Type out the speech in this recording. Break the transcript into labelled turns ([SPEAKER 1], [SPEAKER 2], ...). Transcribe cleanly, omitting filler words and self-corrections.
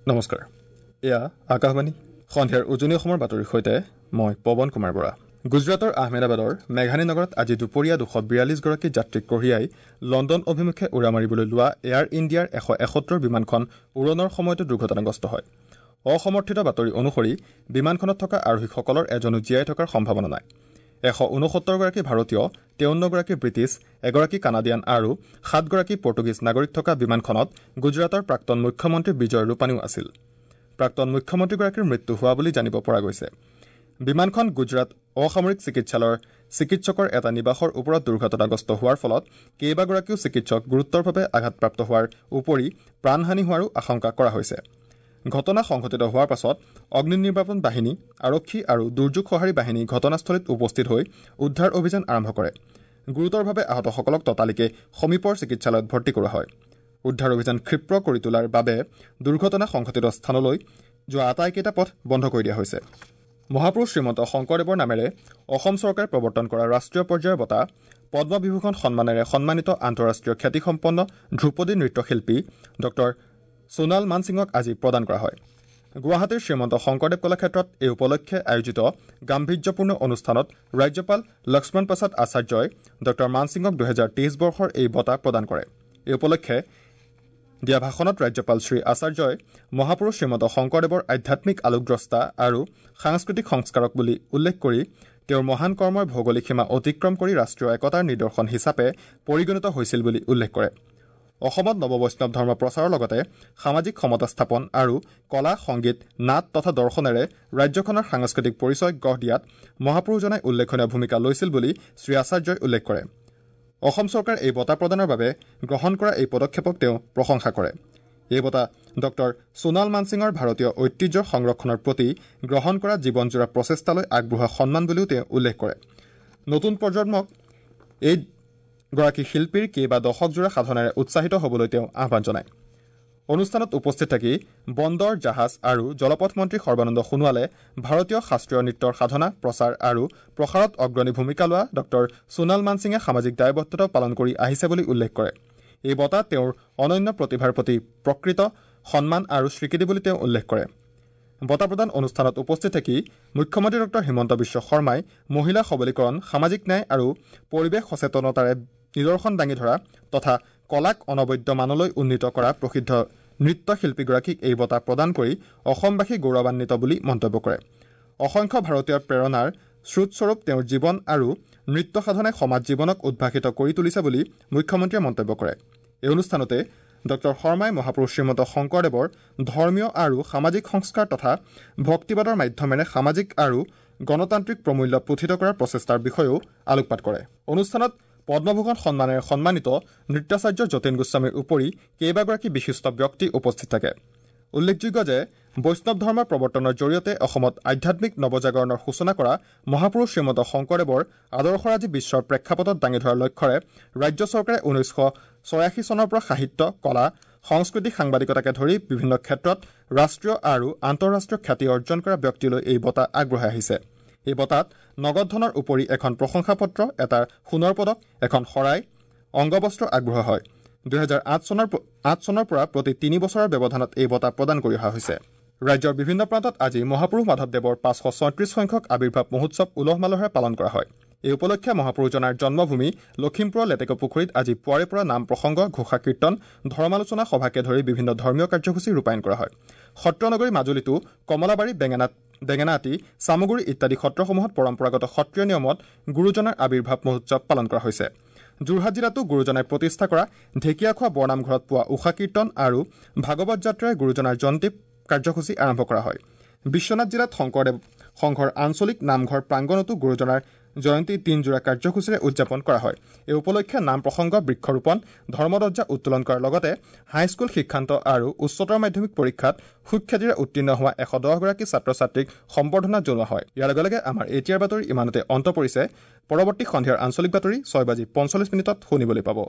[SPEAKER 1] নমস্কাৰ, এয়া আকাশবাণী। সন্ধিয়াৰ উজনি অসমৰ বাতৰিৰ সৈতে মই পৱন কুমাৰ বৰা। গুজৰাটৰ আহমেদাবাদৰ মেঘানী নগৰত আজি দুপৰীয়া 242 গৰাকী যাত্ৰীক কঢ়িয়াই লণ্ডন অভিমুখে উৰা মাৰিবলৈ লোৱা এয়াৰ ইণ্ডিয়াৰ 171 বিমানখন উৰণৰ সময়তে দুৰ্ঘটনাগ্ৰস্ত হয়। অসমৰ্থিত বাতৰি অনুসৰি বিমানখনত থকা আৰোহীসকলৰ এজনো জীয়াই থকাৰ সম্ভাৱনা নাই। 169 গৰাকী ভাৰতীয়, 53 গৰাকী ব্ৰিটিছ, এগৰাকী কানাডিয়ান আৰু 7 গৰাকী পৰ্তুগীজ নাগৰিক থকা বিমানখনত গুজৰাটৰ প্ৰাক্তন মুখ্যমন্ত্ৰী বিজয় ৰূপানীও আছিল। প্ৰাক্তন মুখ্যমন্ত্ৰীগৰাকীৰ মৃত্যু হোৱা বুলি জানিব পৰা গৈছে। বিমানখন গুজৰাট অসামৰিক চিকিৎসালয়ৰ চিকিৎসকৰ এটা নিবাসৰ ওপৰত দুৰ্ঘটনাগ্ৰস্ত হোৱাৰ ফলত কেইবাগৰাকীও চিকিৎসক গুৰুতৰভাৱে আঘাতপ্ৰাপ্ত হোৱাৰ উপৰি প্ৰাণহানি হোৱাৰো আশংকা কৰা হৈছে। ঘটনা সংঘটিত হোৱাৰ পাছত অগ্নি নিৰ্বাপন বাহিনী, আৰক্ষী আৰু দুৰ্যোগ সঁহাৰি বাহিনী ঘটনাস্থলীত উপস্থিত হৈ উদ্ধাৰ অভিযান আৰম্ভ কৰে। গুৰুতৰভাৱে আহতসকলক ততালিকে সমীপৰ চিকিৎসালয়ত ভৰ্তি কৰোৱা হয়। উদ্ধাৰ অভিযান ক্ষীপ্ৰ কৰি তোলাৰ বাবে দুৰ্ঘটনা সংঘটিত স্থানলৈ যোৱা আটাইকেইটা পথ বন্ধ কৰি দিয়া হৈছে। মহাপুৰুষ শ্ৰীমন্ত শংকৰদেৱৰ নামেৰে অসম চৰকাৰে প্ৰৱৰ্তন কৰা ৰাষ্ট্ৰীয় পৰ্যায়ৰ বঁটা পদ্মবিভূষণ সন্মানেৰে সন্মানিত আন্তঃৰাষ্ট্ৰীয় খ্যাতিসম্পন্ন ধ্ৰুপদী নৃত্যশিল্পী ডক্টৰ সোণাল মানসিঙক আজি প্ৰদান কৰা হয়। গুৱাহাটীৰ শ্ৰীমন্ত শংকৰদেৱ কলাক্ষেত্ৰত এই উপলক্ষে আয়োজিত গাম্ভীৰ্যপূৰ্ণ অনুষ্ঠানত ৰাজ্যপাল লক্ষ্মণ প্ৰসাদ আচাৰ্যই ডক্টৰ মানসিঙক 2023 বৰ্ষৰ এই বঁটা প্ৰদান কৰে। এই উপলক্ষে দিয়া ভাষণত ৰাজ্যপাল শ্ৰী আচাৰ্যই মহাপুৰুষ শ্ৰীমন্ত শংকৰদেৱৰ আধ্যাত্মিক আলোকদ্ৰষ্টা আৰু সাংস্কৃতিক সংস্কাৰক বুলি উল্লেখ কৰি তেওঁৰ মহান কৰ্মই ভৌগোলিক সীমা অতিক্ৰম কৰি ৰাষ্ট্ৰীয় একতাৰ নিদৰ্শন হিচাপে পৰিগণিত হৈছিল বুলি উল্লেখ কৰে। অসমত নৱবৈষ্ণৱ ধৰ্ম প্ৰচাৰৰ লগতে সামাজিক সমতা স্থাপন আৰু কলা, সংগীত, নাট তথা দৰ্শনেৰে ৰাজ্যখনৰ সাংস্কৃতিক পৰিচয় গঢ় দিয়াত মহাপুৰুষজনাই উল্লেখনীয় ভূমিকা লৈছিল বুলি শ্ৰী আচাৰ্যই উল্লেখ কৰে। অসম চৰকাৰে এই বঁটা প্ৰদানৰ বাবে গ্ৰহণ কৰা এই পদক্ষেপক তেওঁ প্ৰশংসা কৰে। এই বঁটা ডক্টৰ সোণাল মানসিঙৰ ভাৰতীয় ঐতিহ্যৰ সংৰক্ষণৰ প্ৰতি গ্ৰহণ কৰা জীৱনজোৰা প্ৰচেষ্টালৈ আগবঢ়োৱা সন্মান বুলিও তেওঁ উল্লেখ কৰে। নতুন প্ৰজন্মক এই গৰাকী শিল্পীৰ কেইবা দশকজোৰা সাধনাৰে উৎসাহিত হ'বলৈ তেওঁ আহ্বান জনায়। অনুষ্ঠানত উপস্থিত থাকি বন্দৰ, জাহাজ আৰু জলপথ মন্ত্ৰী সৰ্বানন্দ সোণোৱালে ভাৰতীয় শাস্ত্ৰীয় নৃত্যৰ সাধনা, প্ৰচাৰ আৰু প্ৰসাৰত অগ্ৰণী ভূমিকা লোৱা ডক্টৰ সোণাল মানসিঙে সামাজিক দায়বদ্ধতাও পালন কৰি আহিছে বুলি উল্লেখ কৰে। এই বঁটা তেওঁৰ অনন্য প্ৰতিভাৰ প্ৰতি প্ৰকৃত সন্মান আৰু স্বীকৃতি বুলি তেওঁ উল্লেখ কৰে। বঁটা প্ৰদান অনুষ্ঠানত উপস্থিত থাকি মুখ্যমন্ত্ৰী ডক্টৰ হিমন্ত বিশ্ব শৰ্মাই মহিলা সবলীকৰণ, সামাজিক ন্যায় আৰু পৰিৱেশ সচেতনতাৰে নিদৰ্শন দাঙি ধৰা তথা কলাক অনবদ্য মানলৈ উন্নীত কৰা প্ৰসিদ্ধ নৃত্যশিল্পীগৰাকীক এই বঁটা প্ৰদান কৰি অসমবাসী গৌৰৱান্বিত বুলি মন্তব্য কৰে। অসংখ্য ভাৰতীয়ৰ প্ৰেৰণাৰ স্ৰোতস্বৰূপ তেওঁৰ জীৱন আৰু নৃত্য সাধনাই সমাজ জীৱনক উদ্ভাসিত কৰি তুলিছে বুলি মুখ্যমন্ত্ৰীয়ে মন্তব্য কৰে। এই অনুষ্ঠানতে ডক্টৰ শৰ্মাই মহাপুৰুষ শ্ৰীমন্ত শংকৰদেৱৰ ধৰ্মীয় আৰু সামাজিক সংস্কাৰ তথা ভক্তিবাদৰ মাধ্যমেৰে সামাজিক আৰু গণতান্ত্ৰিক প্ৰমূল্য প্ৰোথিত কৰাৰ প্ৰচেষ্টাৰ বিষয়েও আলোকপাত কৰে। অনুষ্ঠানত পদ্মভূষণ সন্মানেৰে সন্মানিত নৃত্যাচাৰ্য যতীন গোস্বামীৰ উপৰি কেইবাগৰাকী বিশিষ্ট ব্যক্তি উপস্থিত থাকে। উল্লেখযোগ্য যে বৈষ্ণৱ ধৰ্মৰ প্ৰৱৰ্তনৰ জৰিয়তে অসমত আধ্যাত্মিক নৱজাগৰণৰ সূচনা কৰা মহাপুৰুষ শ্ৰীমন্ত শংকৰদেৱৰ আদৰ্শৰাজি বিশ্বৰ প্ৰেক্ষাপটত দাঙি ধৰাৰ লক্ষ্যৰে ৰাজ্য চৰকাৰে 1986 চনৰ পৰা সাহিত্য, কলা, সংস্কৃতি, সাংবাদিকতাকে ধৰি বিভিন্ন ক্ষেত্ৰত ৰাষ্ট্ৰীয় আৰু আন্তঃৰাষ্ট্ৰীয় খ্যাতি অৰ্জন কৰা ব্যক্তিলৈ এই বঁটা আগবঢ়াই আহিছে। এই বঁটাত নগদ ধনৰ উপৰি এখন প্ৰশংসা পত্ৰ, এটা সোণৰ পদক, এখন শৰাই, অংগবস্ত্ৰ আগবঢ়োৱা হয়। 2008 চনৰ পৰা প্ৰতি 3 বছৰৰ ব্যৱধানত এই বঁটা প্ৰদান কৰি অহা হৈছে। ৰাজ্যৰ বিভিন্ন প্ৰান্তত আজি মহাপুৰুষ মাধৱদেৱৰ 536 সংখ্যক আৱিৰ্ভাৱ মহোৎসৱ উলহ মালহেৰে পালন কৰা হয়। এই উপলক্ষে মহাপুৰুষজনাৰ জন্মভূমি লখিমপুৰৰ লেটেকপুখুৰীত আজি পুৱাৰে পৰা নাম প্ৰসংগ, ঘোষা কীৰ্তন, ধৰ্মালোচনা সভাকে ধৰি বিভিন্ন ধৰ্মীয় কাৰ্যসূচী ৰূপায়ণ কৰা হয়। সত্ৰনগৰী মাজুলীতো কমলাবাৰী, বেঙেনাআটি, চামগুৰি ইত্যাদি সত্ৰসমূহত পৰম্পৰাগত সত্ৰীয় নিয়মত গুৰুজনাৰ আৱিৰ্ভাৱ মহোৎসৱ পালন কৰা হৈছে। যোৰহাট জিলাতো গুৰুজনাই প্ৰতিষ্ঠা কৰা ঢেকীয়াখোৱা বৰনামঘৰত পোৱা ঊষা কীৰ্তন আৰু ভাগৱত যাত্ৰাই গুৰুজনাৰ জয়ন্তী কাৰ্যসূচী আৰম্ভ কৰা হয়। বিশ্বনাথ জিলাত শংকৰদেৱ সংঘৰ আঞ্চলিক নামঘৰ প্ৰাংগণতো গুৰুজনাৰ জয়ন্তী তিনজোৰা কাৰ্যসূচীৰে উদযাপন কৰা হয়। এই উপলক্ষে নাম প্ৰসংগ, বৃক্ষৰোপণ, ধৰ্মধ্বজা উত্তোলন কৰাৰ লগতে হাইস্কুল শিক্ষান্ত আৰু উচ্চতৰ মাধ্যমিক পৰীক্ষাত সুখ্যাতিৰে উত্তীৰ্ণ হোৱা 110 গৰাকী ছাত্ৰ ছাত্ৰীক সম্বৰ্ধনা জনোৱা হয়। ইয়াৰ লগে লগে আমাৰ এতিয়াৰ বাতৰি ইমানতে অন্ত পৰিছে। পৰৱৰ্তী সন্ধিয়াৰ আঞ্চলিক বাতৰি 6:45 শুনিবলৈ পাব।